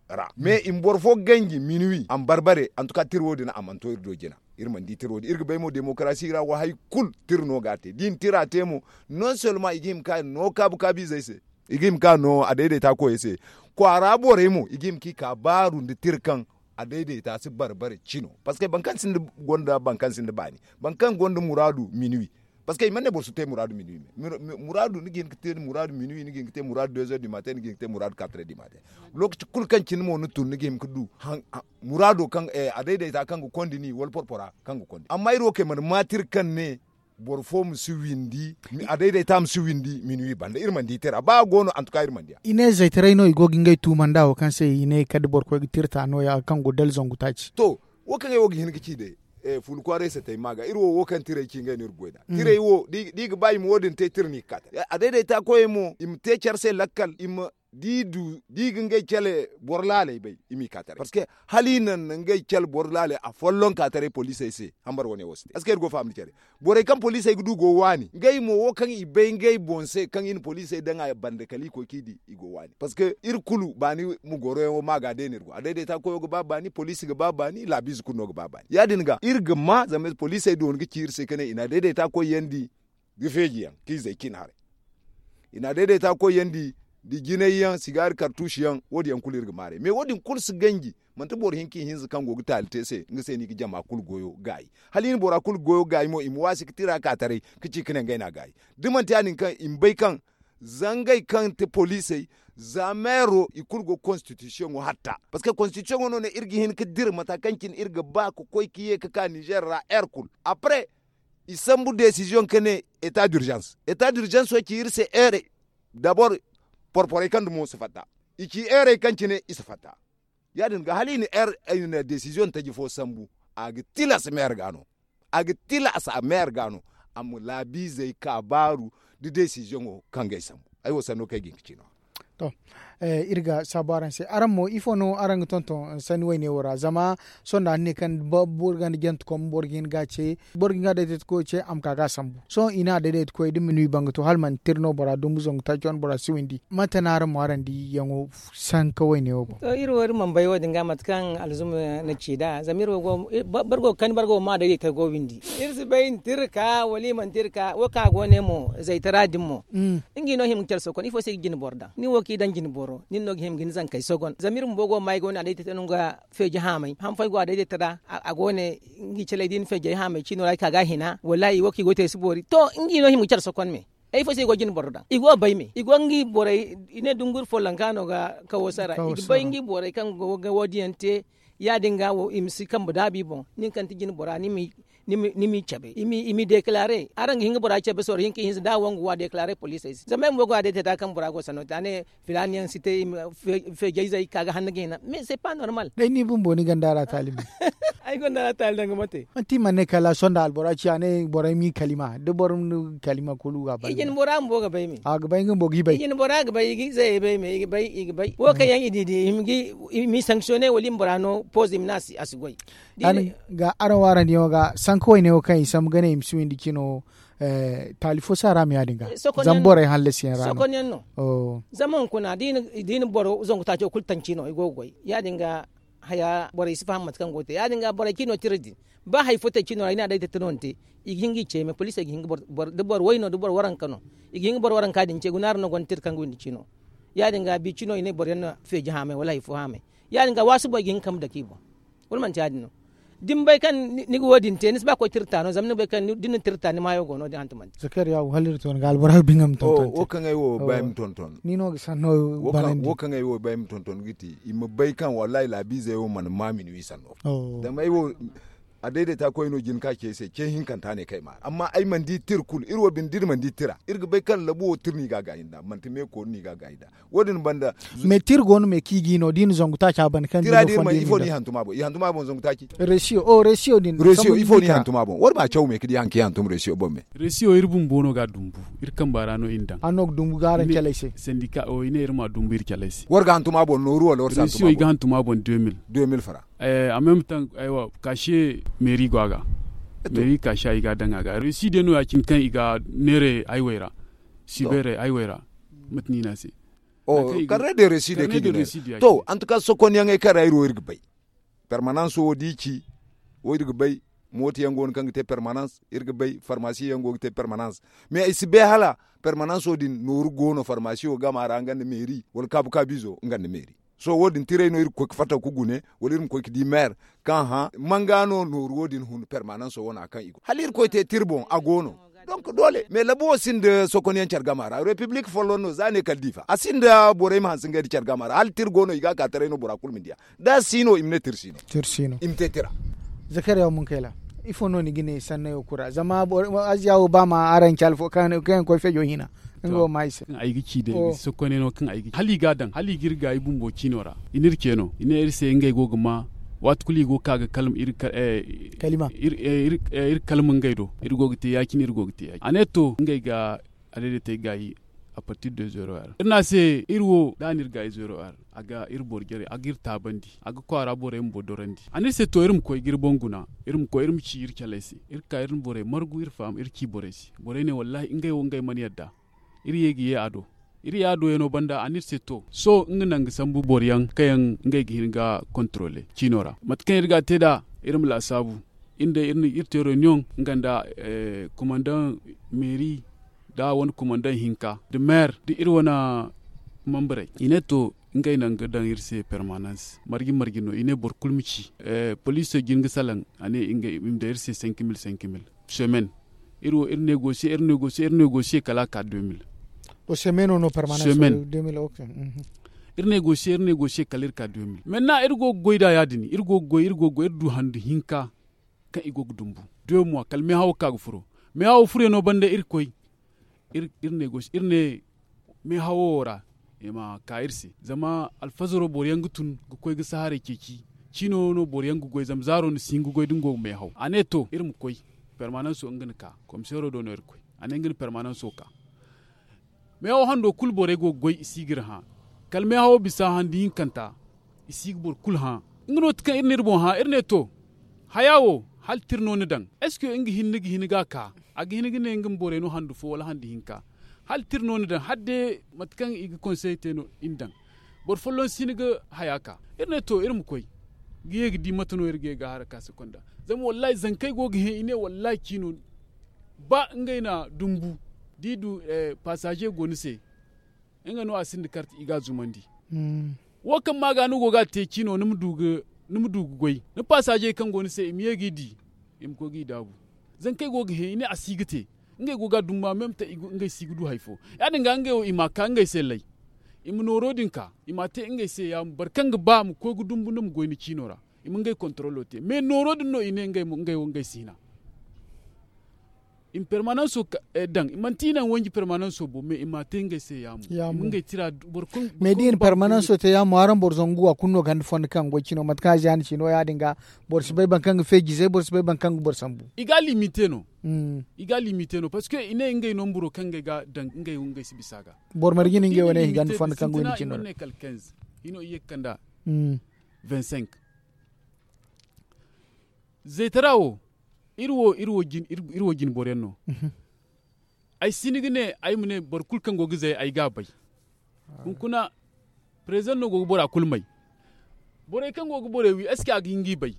ra mais i ma boro fo ganji minuwi a ma barbare antuka tira wo- din a mana to iri do jina. Iri mana di tira wo- din iri ga bay mo demokarasi ra wo hari kulu tira no ga a te da i na tira te mo non selma i ga hima ka no kaabu kaabu izey se i ga hima ka no a dayday ta koyey se kwaara borey mo i ga hima ka i ka baaru nda tira kaŋ a dayday ta si barbare cino parceque boro kaŋ sinda gonda boro kaŋ sinda baani boro kaŋ gonda muraadu minuwi. Parceque i mana ne boro si te muraadu minuwi me muraadu ni ga hin ga te muraadu minuwi ni ga hin ga te muraadu dezer du matin ni ga hin ga te muraadu katrer du matin. Lookaci kulu kaŋ cine mo ni tun ni ga hin ga du muraado kaŋ a dayday ta kaŋ ga kondi ni wala porpora kaŋ ga kondi amma iri wo kay mana ma tira kaŋ ne boro fo ma si windi a dayday ta ma si windi minuwi banda iri mana di tira ba a go no antuka iri mana di a. I ne zaytaray no i go ga ngey tuuma nda wo kaŋ se i ne kala da boro koy ga tira ta no- ya kaŋ go dala zangu taaci. To, wo kaŋ ay wo ga hin ga ci day fuula kwaaray satay ma ga iri wo wo kaŋ tirey ci ngey no iri ga goy nd'a tirey wo da i ga ba i ma wo- din te tira no i ga ka tara a dayday ta koyey mo i ma te care se lakkal i ma da i du da i ga ngey cale boro laaley bay i m'i ka taray parceque hala i naŋ na ngey cale boro laaley a folloŋ ka taray poliisey se hambar wane wo si te est ce que iri go ga faham da care borey kaŋ poliisey ga du go ga waani ngey mo wo kaŋ i bay ngey boŋ se kaŋ i na poliisey daŋ a banda kala i koy kaŋ i di i go ga waani parceque iri kulu baani ma goro yaŋo ma ga day no iri go a dayday ta koyo ga ba baani poliisi ga ba baani laabiize kulu no ga ba baani ya- din ga iri ga ma zama poliisey dooni ga ci iri se ka ne i na a dayday ta koy yaŋ di ga feeji yaŋ kaŋ i zay cin haray i na a dayday ta koy yaŋ di da jinay yaŋ sigaari kartuusi yaŋ wo- din yaŋ kulu iri ga maaray mais wo- din kulu si ganji manti boro hinka ihinza kaŋ go ga taali te se nga se no i ga jama kulu goyo gaayi hala i na bora kulu goyo gaayi mo i ma waasi ga tira ka taray ka ci ka ne ngey no a gaayi da manti ya- din kaŋ i ma bay kaŋ zangey kaŋ ti poliisey za meero i kulu go ga konstitisiyoŋo hatta parceque konstitisiyoŋo no ne iri ga hin ga dira mata kaŋ cine iri ga ba ka koy ka ye ka ka nizer ra heure kulu apre i sambu desiziyoŋ ka ne eta dirizans eta dirizanso ci iri se heure dabor porporey kaŋ dumo si fatta i ci heurey kaŋ cine i si fatta ya- din ga hala i na heure ay na desiziyoŋ taji fo sambu a ga tilas meere ga no a ga tilas a meere ga no a ma laabiizey ka baaru da desiziyoŋo kaŋ ga ay sambu ay wo sanno kaŋ ay ga hin ga ci no- ya to iri ga saabu araŋ se araŋ mo ifo no araŋ ga tonton sanni wayne wo ra zama sohõ da a ne kaŋ boro ganda jante kom boro ga hin ga a ce boro ga hin ga a dayday ta koyo ce a ma ka ga a sambu sohõ i ne a dayday ta koyo da minuwi banga to hala manti tira no bora dumbu zangu taaci wane bora si windi mate no araŋ mo araŋ di yaŋo sanka wayne wo boŋ. To iri wo iri mana bay wo- din ga mate kaŋ alzuma na ci nd'a zama iri wo boro go ga kani boro go ga ma a dayday ta go windi iri si bay nda iri ka wala i manti iri ka wo kaŋ a go ne mo zaytara din mo nga i no hima ga care sokon ifo se i ga jine boro daŋ nin wo kaŋ i daŋ jine boro nin no ga hima ga ni zankey sogon zama iri bumbo go ga ma ay go ne a dayday ta no nga feeji haamay han fooyaŋ go a dayday ta ra a go ne nga i caley da i na feejey haamay ciino ra ay ka ga a hina wallaahi wo kaŋ i go ga te ay si boori to nga i no hima ga care sokon me ay fo se i go ga jine boro daŋ i go ga bay me i go nga i borey i ne dunguri follanka no ga kawo sara i ga bay nga i borey kaŋ go ga wo- din yaŋ te ya- din ga wo i ma si kambe daabu i boŋ nin kaŋ ti jine bora ni ma Ni m'i cabe i m'i deekalare araŋ ga hin ga bora cabe sorro hinka ihinza da a wangu wa deekalare poliisey se zama ay mo go a day te da kaŋ bora go sanno te a ne filaani yaŋ si te. Feejayzey ka ga hanno ga hina mais se pa normal. Day ni bumbo ni gonda ra taali me. Ay gonda ra taali daŋ ga mate. Manti i mana ne kala sohõ nda albora ci a ne borey m'i kalima da boro ma ni kalima kulu ga a banda. I jin bora bumbo ga bay me a ga bay nga bumbo ga i bay i jin bora ga bay i ga i zayey bay me i ga bay i ga bay wo kaŋ yaŋ i di di i m'i sanctionner wala i ma bora no pooze i ma ne a si goy. Ga araŋ wo araŋ diyaŋo ga sanka wayne wo kaŋ i sambu ga ne i ma si windi cino. Taali fo si a ra ma ya- din ga zama borey hallasiyaŋ ra no. Zama hunkuna da i na boro zangu taaco kulu taŋ cino i go ga goy ya- din ga haya borey si faham mate kaŋ go ga te ya- din ga borey cino tira din. Ba hari fo te cino ra i ne a day te tira no ni te i ga hin ga i ce me poliisey ga hin ga boro way no da boro waranka no. I ga hin ga boro waranka din ce guna ra no gonda tira kaŋ ga windi cino. Ya- din ga bi cino i ne boro yaŋ na feeji haamay wala hari fo haamay. Ya- din ga waasi boŋ i ga hin ga kambe dake i boŋ. Wala manti ya- din no? Da ni bay kaŋ ni ga wo- din te ni si ba koy tira ta no zama ni bay kaŋ da ni na tira ta ni maayo go no- din hantumante. Zakariya wo hala iri to ni ga albora ga ba nga ma tonton te. Wo kaŋ ay wo ba ay ma tonton ni no ga sanno banandi. Wo kaŋ ay wo ba ay ma tonton ga ti i ma bay kaŋ wallahi laabiizey wo mana ma minuwi sanno. Zama ay wo a dayday ta koy no jin ka ce ay se ce hinkanta ne kaŋ ay ma amma ay mana di tira kulu iri wo bine da iri mana di tira iri ga bay kaŋ labu wo tira no i ga a gaayi nd'a manti meeko no i ga a gaayi nd'a. Wo- din banda. Mais tira go no me kaŋ i ga i no da i na zangu taaci a banda kaŋ tira da i ma ifo no i hantum a boŋ i hantum a boŋ zangu taaci. Resiyo o resiyo din resiyo ifo no i hantum a boŋ war ma caw me kaŋ di haŋ kaŋ i hantum resiyo boŋ me. Resiyo iri bumbo no ga a dumbu iri kamba ra no i na daŋ. Hanno ga dumbu ga araŋ caley se. Sandika o i ne iri ma dumbu iri caley se. War ga hantum a boŋ nooru wala war si hantum a boŋ. Resiyo i ga hantum a boŋ deux mille. Deux mille fara. A même tan aywa kaashe meeri go a ga. Meeri kaashe i ga a daŋ a ga resi day no ya- cine kaŋ i ga neere haywey ra. Sibeerey haywey ra. Mate no i ne a se. Karne de resi de kaŋ i ga neere. To antuka sokonyaŋey kaŋ ra iri wo iri ga bay. Permananso wo da i ci wo iri ga bay. Mooto yaŋ go no kaŋ ga te permanans iri ga bay farmasi yaŋ go ga te permanans. Mais i si bay hala permananso din nooru go no farmasiyo game a ra nga nda meeri wala kaabu kaabiizo nga nda meeri. Sohõ wo- din tiray no iri ga koy ga fatta ga gune wala iri ma koy ga di meer kaŋ hã manga no nooru wo- din hun permananso wane a kaŋ i go hala iri koy te tira boŋ a go no. Donk doole mais labu wo sinda sokonyaŋ care game a ra repiblik folloŋ no za ne kala diifa a sinda borey ma hanse ngey nda care game a ra hala tira go no i ga a ka taray no bora kulu ma di a. Da a si no i ma ne tira si no. I ma te tira. Zakariya munkayla ifo no ni ga ne sannayo kura zama aziya wo ba ma araŋ caali fo kaŋ yaŋ koy feejo hina. Nga wo ma i se. Kaŋ ay ga ci day sokkoney no kaŋ ay ga ci hala i ga a daŋ hala i ga iri gaayi bumbo ciino ra i n'iri ce no i ne iri se ngey go ga ma. Waati kulu i go ga ka ga kalma iri kalima ngey do iri go ga te ya- cine iri go ga te ya- cine a ne to ngey ga a daidaitey gaayi. A partir de zero heure iri ne a se iri wo da a na iri gaayi zero heure a ga iri boro jare a ga iri taabandi a ga kwaara borey bumbo dorandi a ne iri se to iri ma koy ga iri boŋ guna iri ma koy iri ma ci iri caley se iri ga ka iri na borey margu iri faham iri ci borey se borey ne wallahi ngey wo ngey mana yadda. Iri ye ga ye a do iri ye a do yaŋo banda a ne iri se to sohõ nga naŋ ga sambu boro yaŋ kaŋ yaŋ ngey ga hin ga kontrole ciino ra mate kaŋ iri ga a te nd'a. Iri ma laasaabu iri day iri te reunion nga nda kumandaŋ meeri nda wane kumandaŋ hinka nda meer nda iri wane membarey i ne to ngey naŋ ga daŋ iri se permanans marje marje no i ne boro kulu ma ci. Poliisey jin ga salaŋ a ne i ma daŋ iri se cinq mille cinq mille semaine. Iri wo iri negosiye iri negosiye iri negosiye kala a ka deux mille. Semaine iri negosiye iri negosiye kala iri ka deux mille maintenant iri go ga goy nd'a ya- din iri go ga goy iri go ga goy iri du handu hinka. Kaŋ i go ga dumbu deux mois kala meehawo ga ka ga furo. Meehawo furyaŋo banda iri koy iri ne gosi iri ne meehawo wo ra i ma ka iri se zama alfazaro boro yaŋ ga tun ga koy ga sahaarey ceeci. Ciino no boro yaŋ ga goy zama zaaro na si hin ga goy da nga go ga meehaw a ne to iri ma koy. Permananso nga na ka komiseero do no iri koy a ne nga na permananso ka. Meehawo hando kulu borey go ga goy i si ga iri hã. Kala meehawo bisa handi hinkanta i si ga boro kulu hã. Nga no ti kaŋ iri na iri boŋ hã iri ne to haya wo hala tira no ni daŋ? Est ce que nga hinne ga hin ga a ka a ga hin ga ne nga ma borey no handu fo wala handu hinka? Hala tira no ni daŋ hala day mate kaŋ i ga konsey te no i na daŋ. Boro folloŋ si ni ga haya ka iri ne to iri ma koy ga ye ga di mate no iri ga ye ga a hara ka se konda. Zama wallahi zankey go ga hẽ i ne wallahi ciino ba ngey na dumbu da i du pasaze go ni se. Nga no a sinda karte i ga a zumandi. Wo kaŋ ma ga ni go ga a te ciino ni ma du ga goy ni pasaze kaŋ go ni se i ma ye ga i di. I ma koy ga i daabu zankey go ga hẽ i ne a si ga te. Ngey go ga a dumba meme te ngey si ga du hari fo. Ya- din ga ngey wo i ma a ka ngey se lay i ma nooro din ka i ma a te ngey se ya- ma boro kaŋ ga ba ma koy ga dumbu ni ma goy ni ciino ra. I ma ngey kontorolo te mais nooro din no i ne ngey wo ngey si hina. i ma permananso daŋ, manti i naŋ wanji permananso bo mais i m'a te ngey se yaamo. Ngey tira boro kulu mais da i na permananso te yaamo araŋ boro zangu a kulu no ganda fondo kaŋ goy cino mate kaŋ a ziyaani cino ya- din ga. Boro si bay boro kaŋ ga feejizey boro si bay boro kaŋ ga boro sambu. I ga limite no. I ga limite no parce que i ne ngey nomburo kaŋ ngey ga daŋ ngey wo ngey si bisa ga. Boro marje no ngey wane i ganda fondo kaŋ goy ni cino ra. Hino i ye ga kanda. Vingt-cinq. Zaytara wo iri wo iri wo jine boro yaŋ no. Ay si ni ga ne ay ma ne boro kulu kaŋ go ga zay ay ga a bay. Hunkuna president no go ga bora kulu may. Borey kaŋ go ga borey wi est ce que a ga hin ga i bay?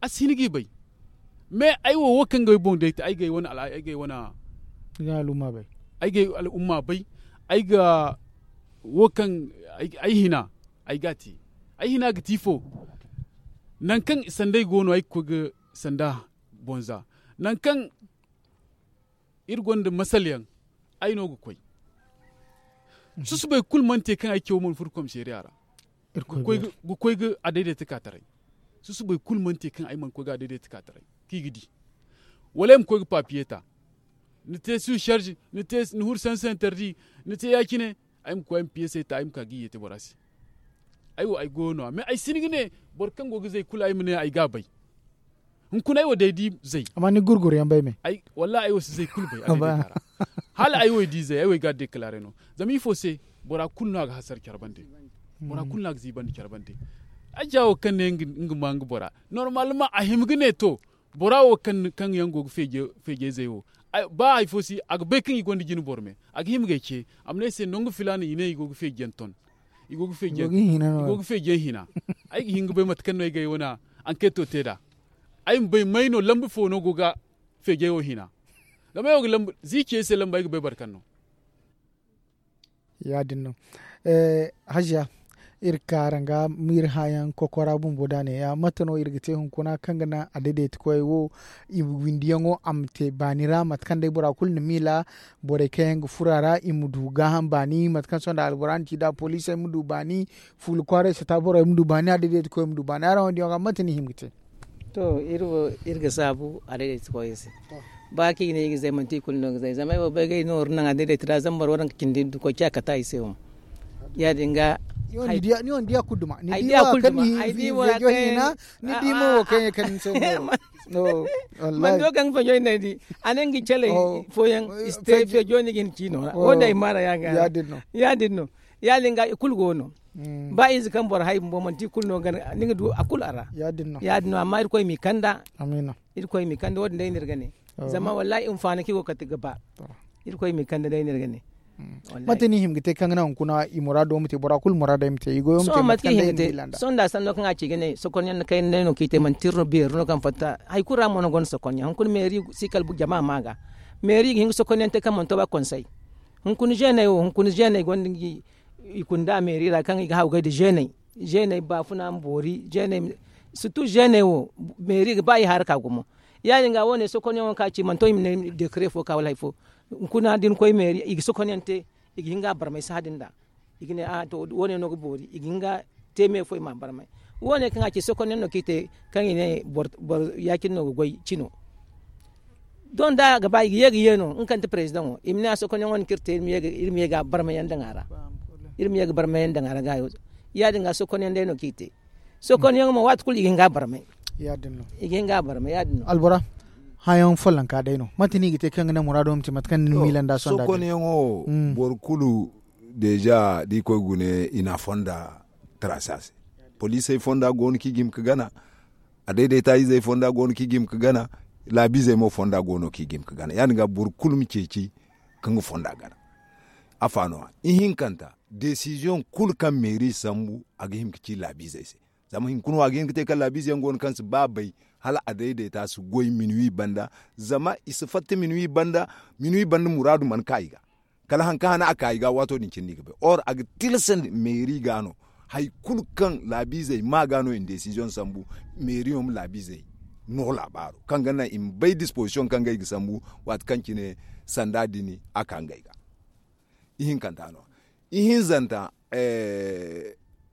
A si hin ga i bay. Mais ay wo wo kaŋ ga ay boŋ day te ay ga ay wane al'umma bay. Ay ga ay al'umma bay. Ay ga wo kaŋ ay hina ay ga a te. Ay hina ga ti ifo? Nangu kaŋ sandey go no ay ga koy ga sanda bonza. Nangu kaŋ iri gonda masal yaŋ. Ay no ga koy. Susubay kulu mana te kaŋ ay caw mana furo komisariya ra. Ga koy ga a dayday takaataray. Susubay kulu mana te kaŋ ay mana koy ga a dayday takaataray kaŋ i ga di. Wala ay ma koy ga papiye ta. Ni te su sarzi ni huru sansantardi. Ni te ya- cine ay ma koy ay ma piyesey ta ay ma ka ga i yeete bora se. Ay wo ay goyo no- ya mais ay si ni ga ne boro kaŋ go ga zay kulu ay ma ne ay ga a bay. Hunkuna ay wo day di zay. Amma ni gurguru yaŋ bay me. Wallahi ay wo si zay kulu bay. Hala ay wo ay di zay ay wo ay ga a dekalare no. Zama ifo se? Bora kulu no a ga hasara care bande. Bora kulu no a ga ziibandi care bande. Ay jaawo kaŋ ne nga ma nga bora normal ma a hima ga ne to. Bora wo kaŋ yaŋ go ga feejey zey wo ba hari fo si a ga bay kaŋ i gonda jine boro me. A ga hima ga ay ce a ma ne ay se nangu filaana i ne i go ga feeji yaŋ ton. I go ga feeji yaŋ hina. Ay ga hin ga bay mate kaŋ no ay ga ay wane ankeeto te nd'a. Ay ma bay may no lamba fo no go ga feejey wo hina. Zama ay wo ga lamba z'i ce ay se lamba ay ga bay boro kaŋ no. Ya- din no. Haziya, iri ga ka araŋ ga ma iri hããyaŋ kokora bumbo da ne ya mate no iri ga te hunkuna kaŋ ga naŋ a daydayti koyey wo i windiyaŋo a ma te baani ra mate kaŋ day bora kulu na miila. Borey kaŋ yaŋ ga furo a ra i ma du gaaham baani mate kaŋ sohõ nda albora na ci nd'a poliisey ma du baani. Fuula kwaaray sata borey ma du baani a daydayti koyey ma du baani araŋ wo ni diyaŋo ga mate no i hima ga te? To iri wo iri ga saabu a daydayti koyey se. Ba kaŋ i ne i ga zay manti i kulu no ga zay zama ay wo bay ga ay nooru naŋ a daydayti ra zama boro wo naŋ ga cindi nda koy ciya kate ay se wo. Ya- din ga ni wo ni diya kulu duma ni diya kulu duma ay di wo ra kaŋ ni hina ni di mo wo kaŋ ye kaŋ ni se wo. Mando kaŋ feejo ni di a ne nga caley fooyaŋ i si te feejo ni ga hin ciino ra wo- din ay maara ya- din no. Ya- din ga i kulu go no. Ba ize kaŋ boro hay bumbo manti i kulu no ga ni ga du a kulu a ra. Ya- din no amma irkoy m'i kanda. Irkoy m'i kande wo- din day no iri ga ne. Zama wallahi hinfaani kaŋ i go ga kate ga ba. Irkoy m'i kande day no iri ga ne. Mate no i hima ga te kaŋ ga naŋ hunkuna i muraado ma te bora kulu muraado ay ma te i goyo ma te mate kaŋ day no i ma te. Sohõ nda sanno kaŋ a ci ga ne sokonyaŋ na kayna day no kaŋ i te manti iri no beeri no kaŋ fatta hari kulu ra mo no gonda sokonyaŋ hunkuna meeri si kala jama ma ga. Meeri i ga hin ga sokonyaŋ te kaŋ mana to ba konsey. Hunkuna zeeney wo hunkuna zeeney gonda ngi i kunda meeri ra kaŋ i ga haw gay nda zeeney. Zeeney baafuna ma boori zeeney. Surtout zeeney wo meeri ga ba i haraka gumo. Ya- din ga wo- ne sokonyaŋo kaŋ a ci mana to i ma ne dekare fo ka wala hari fo. Hunkuna da ni koy meeri i ga sokonyaŋ te i ga hin ga a barmay sahã din nd'a. I ga ne a to wo- ne no ga boori i ga hin ga te me fo i m'a barmay. Wo- ne kaŋ a ci sokonyaŋ no kaŋ i te kaŋ i ne boro ya- cine no ga goy cino. Doŋ da a ga ba i ga ye ga ye no nga kaŋ ti perezidaŋo i ma ne a sokonyaŋo no kaŋ iri te iri ma ye ga a barmayaŋ daŋ a ra. Iri ma ye ga barmayaŋ daŋ a ra gaayo. Ya- din ga sokonyaŋ day no kaŋ i te. Sokonyaŋ mo waati kulu i ga hin ga a barmay. I ga hin ga a barmay ya- din no. Albora hããyaŋ follonka day no mate no i ga te kaŋ ga naŋ muraado ma te mate kaŋ ni miila nd'a sohõ nd'a. Sokonyaŋo boro kulu deeza da i koy gune i na a fonda taraasi a se. Poliisey fonda go no kaŋ i ga hima ga gana. A dayday ta izey fonda go no kaŋ i ga hima ga gana. Laabiizey mo fonda go no kaŋ i ga hima ga gana ya- din ga boro kulu ma ceeci ka nga fonda gana. Afa no- ya ihinkanta desiziyoŋ kulu kaŋ meeri sambu a ga hima ga ci laabiizey se. Zama hunkuna wo a ga hin ga te kaŋ laabiize yaŋ go no kaŋ si ba bay hala a dayday ta si goy minuwi banda. Zama i si fatta minuwi banda. Minuwi banda muraadu mana ka i ga kala hari kaŋ hane a ka i ga waato din cindi i ga bay or a ga tilasandi meeri ga no. Hari kulu kaŋ laabiizey ma ga no i na desiziyoŋ sambu meeriyo ma laabiizey no laabaaro kaŋ ga naŋ i ma bay dispozision kaŋ ga i ga sambu. Waati kaŋ cine sanda din a ka ngey ga. Ihinkanta no- ya ihinzanta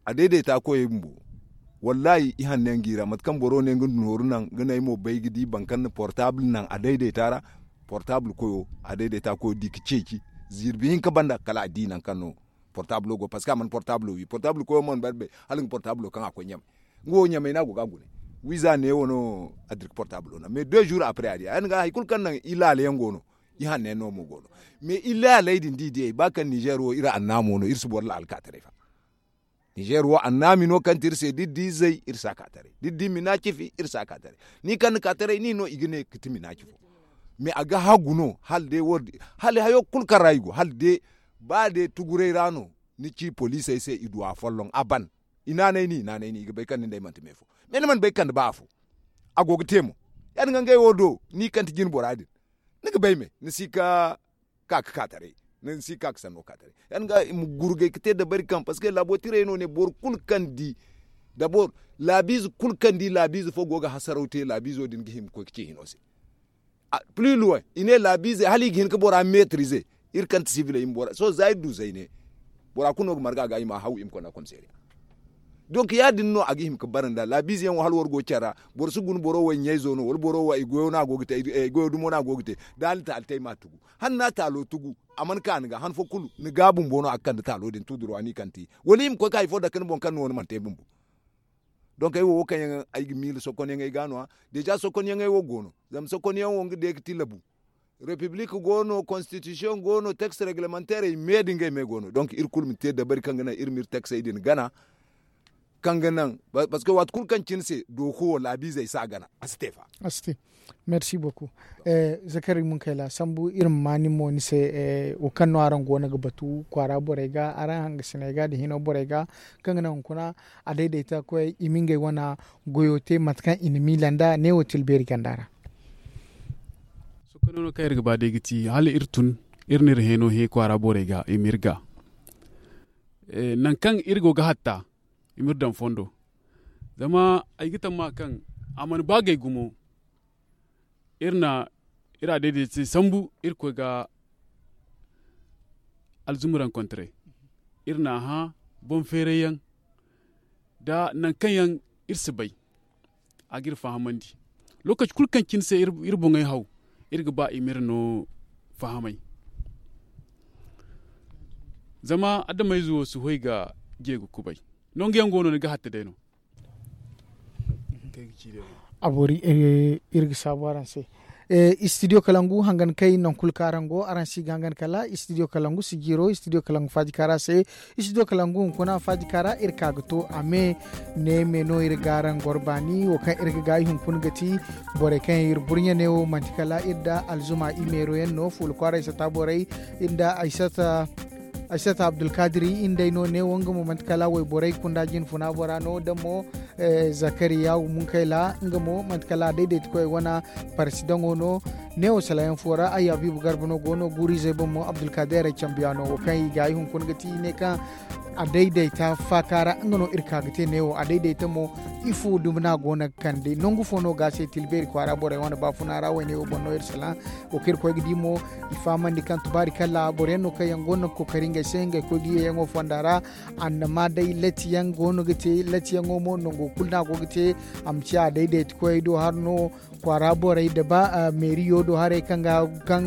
a dayday ta koyey bumbo. Wallahi i hanne nga i ra mate kaŋ boro ne nga nooru naŋ ga ne ay mo bay ga di boro kaŋ na portable naŋ a dayday ta ra. Portable koyo, a dayday ta koyo di ga ceeci, zirbi hinka banda kala a di nangu kaŋ no portable go. Parceque a mana portable wi portable koyo mana bari bay hala nga portable kaŋ a koy ɲamay. Nga wo ɲamay no a go ga a gune wiiza ne wo no a dirka portable no mais deux jours après a di a yaŋ ga hari kulu kaŋ naŋ i laala yaŋ go no. I hanne yaŋ no mo go no. Mais i laaley din da i diyey ba kaŋ nizer wo iri annaamo no iri si boro laala ka taray fa. Nizer wo annaami no kaŋ ti iri se da iri di izey iri si a ka taray da iri di minacifi iri si a ka taray. Ni kaŋ ni ka taray ni no i ga ne ga ti minaci fo. Mais a ga hagu no hala day wo din hala hayo kulu kaŋ ra i go hala day ba day tuguray ra no. Ni ci poliisey se i du a folloŋ a ban. I naanay ni i naanay ni i ga bay kaŋ nin day manti me fo. Mais ni mana bay kande ba afo. A go ga te mo ya- din ga ngey wo do ni kaŋ ti jine bora din. Ni ga bay me ni si ka ka ga ka taray. Ni si ka ga sanno ka taray ya- din ga i ma gurgay ga te dabari kaŋ parceque laabo tirey no ne boro kulu kaŋ di dabor laabiize kulu kaŋ di laabiize fo go ga hasaraw te laabiizo din ga hima ga koy ga ce hino se. Pli luway i ne laabiizey hala i ga hin ga bora metrize. Iri kaŋ ti sibiley i ma bora sohõ za iri du zayne. Bora kulu no ga marga ga i ma haw i ma konda komiseeriya. Donc ya- din no a ga hima ga bara nd'a laabiize yaŋ wo hala war go care ra. Boro si guna boro wo i ɲayzo no wala boro wo i goyo no a go ga te. Da a na taali te ay m'a tugu hala ni na taalo tugu a mana ka ni ga han fo kulu ni ga bumbo no a ga kande taalo din tuduruwa no i kaŋ te wala i ma koy ga hari fo dake ni boŋ kaŋ ni wo ni mana te bumbo. Donc ay wo wo kaŋ yaŋ ay ga miila sokonyaŋey ga no- ya deeza sokonyaŋey wo go no. Zama sokonyaŋ wo nga day ga ti labu. Repiblik go no konstitisiyoŋ go no teks reglemanteerey me da ngey me go no donc iri kulu ma te dabari kaŋ ga naŋ iri ma iri teksey din gana. Kaŋ ga naŋ parceque waati kulu kaŋ cine se dooko wo laabiizey si a gana a si te fa. A si te. Merci beaucoup. Zakari munkayla sambu iri ma ma nin mo ni se. Wo kaŋ no araŋ go no ga batu kwaara borey ga araŋ hangasiney ga nda hino borey ga kaŋ ga naŋ hunkuna a dayday ta koyey i ma ngey wane goyo te mate kaŋ i na miila nd'a neewo tilbeeri ganda ra. Sohõ kaŋ no kaŋ iri ga ba day ga ti hala iri tun iri na iri hẽeno hẽ kwaara borey ga i ma iri ga. Nangu kaŋ iri go ga hatta i ma iri daŋ fondo. Zama ay ga tamma kaŋ a mana ba gay gumo. Iri na iri a dayday te sambu iri koy ga alzumburankontaray. Iri na a hã boŋ feeray yaŋ nda nangu kaŋ yaŋ iri si bay. A ga iri fahamandi lookaci kulu kaŋ cine se iri boŋey haw iri ga ba i ma iri no fahamay. Zama adamayze wo si hoy ga je ga kubay. Nangu yaŋ go no ni ga hatta day no. A boori iri ga saabu araŋ se. Istidiyo kalangu hangan kay nangu kulu kaŋ araŋ go araŋ si ga hangan kala istidiyo kalangu si jiiro istidiyo kalangu faaji kaara se. Istidiyo kalangu hunkuna faaji kaara iri ka ga to a me. Ne me no iri ga araŋ goro baani wo kaŋ iri ga gaayi hunkuna ga ti borey kaŋ yaŋ iri burɲe ne wo manti kala iri nda alzuma i meero yaŋ no fuula kwaaray sata borey iri nda ay sata ay sata abdulkadiri iri nd'ey no neewo nga mo manti kala wayborey kunda jinfuna bora no da mo. Zakariya munkayla nga mo manti kala a daydayti koy wane parsidaŋo no. Neewo salayaŋ fo ra ay habiibu garba no go no guuru izey boŋ mo abdulkadeerey cambiya no wo kaŋ i ga ay hunkuna ga ti ne kaŋ a daydayta faaka ra nga no iri ka ga te neewo a daydayta mo. Ifo dumi no a go no ga kande nangu fo no ga se tilbeeri kwaara borey wane baafuna ra wayne wo boŋ no iri salaŋ. Wo kaŋ iri koy ga di mo i fahamandi kaŋ tubaari kala boro yaŋ no kaŋ yaŋ go no ga kookari ngey se ngey koy ga ye yaŋo fonda ra. Annama day latiyaŋ go no ga te latiyaŋo mo nango kulu no a go ga te. A ma ciya a daydayti koyey do hari no kwaara borey nda ba meeriyo do haray kaŋ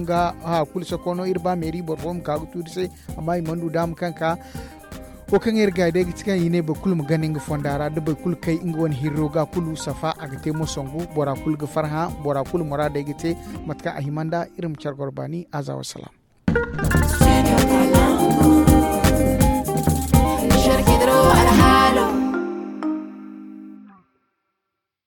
ga hawa kulu sako no iri ba meeri boro fo ma ka ga tuuri se. Amma i mana du daama kaŋ ka wo kaŋ iri ga day ga ti kaŋ i ne boro kulu ma gana nga fonda ra da boro kulu kay nga wane hirro ga kulu safa a ga te mo songu bora kulu ga farhã bora kulu muraadey ga te. Mate kaŋ a hima nda iri ma care goro baani aza wasalaam.